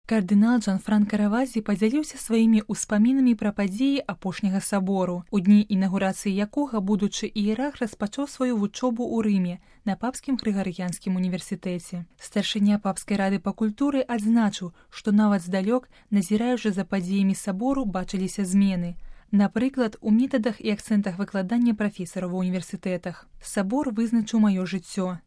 Кардынал Джанфранка Равазі падзяліўся сваімі ўспамінамі пра падзеі апошняга сабору, у дні інаўгурацыі якога будучы іерарх распачаў сваю вучобу ў Рыме на папскім Грыгарыянскім універсітэце. Старшыня папскай рады па культуры адзначыў, што нават здалёк, назіраючы за падзеямі сабору, бачыліся змены. Напрыклад, у метадах і акцэнтах выкладання прафесараў ва ўніверсітэтах. Сабор вызначыў маё жыццё.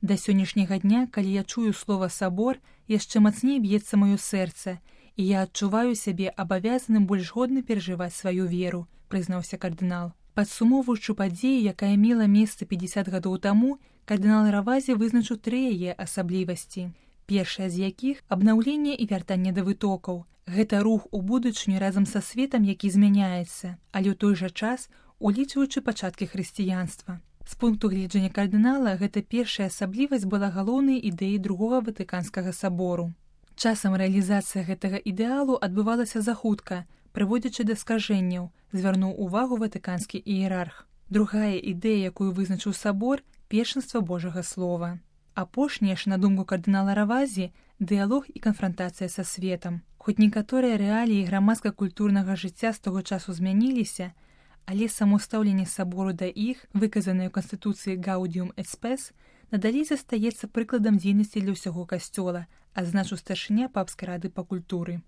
Да сённяшняга дня, калі я чую слова «сабор», яшчэ мацней б'ецца маё сэрца, і я адчуваю сябе абавязаным больш годна перажываць сваю веру, прызнаўся кардынал. Падсумоўваючы падзею, якая мела месца 50 гадоў таму, кардынал Равазі вызначыў 3 яе асаблівасці. Першая з якіх – абнаўленне і вяртанне да вытокаў. Гэта рух у будучыню разам са светам, які змяняецца, але ў той жа час улічваючы пачаткі хрысціянства. З пункту гледжання кардынала, гэта першая асаблівасць была галоўнай ідэяй другога Ватыканскага сабору. Часам рэалізацыя гэтага ідэалу адбывалася захутка, прыводзячы да скажэнняў, звярнуў увагу ватыканскі іерарх. Другая ідэя, якую вызначыў сабор – першынства Божага слова. Апошняя ж, на думку кардынала Равазі, дыялог і канфрантацыя са светам. Хоць некаторыя рэаліі грамадска-культурнага жыцця з таго часу змяніліся, але само стаўленне сабору да іх, выказанае ў Канстытуцыі Gaudium et Spes, надалей застаецца прыкладам дзейнасці для ўсяго касцёла, адзначыў старшыня папскай рады па культуры.